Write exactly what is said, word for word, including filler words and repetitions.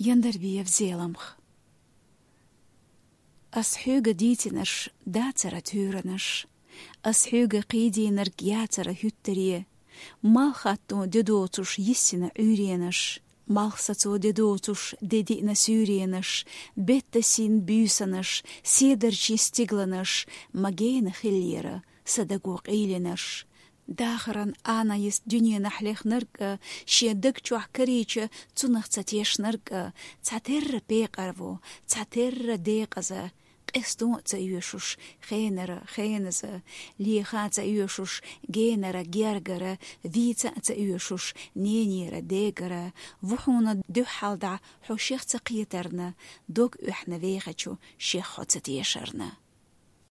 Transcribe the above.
Яндарбиев Зеламха. Ас хьоьга дийцинарш дацара туьйранаш, ас хьоьга кхийдийнарг яцара хӀуьттаре, малхатто де доцуш йиссина Ӏуьйренаш, малхсацо де доцуш де диъна суьйренаш, бетта син буьйсанаш, седарчий стигланаш, ма гена хиллера са даго къийлинарш. Дахаран Ӏанайист дуьненахь лехнарг а, шен даг чохь карийча, цунах ца тешнарг а, цхьатерра пекъар ву, цхьатерра декъаза, къестон а ца оьшуш, хенара, хеназа, леха а ца оьшуш, генара, гергара, вийца а ца оьшуш, ненера, дегара, ву хьуна дуьххьалдӀа хьо шех ца кхетарна, дог оьхьна вехачу шех хьо ца тешарна.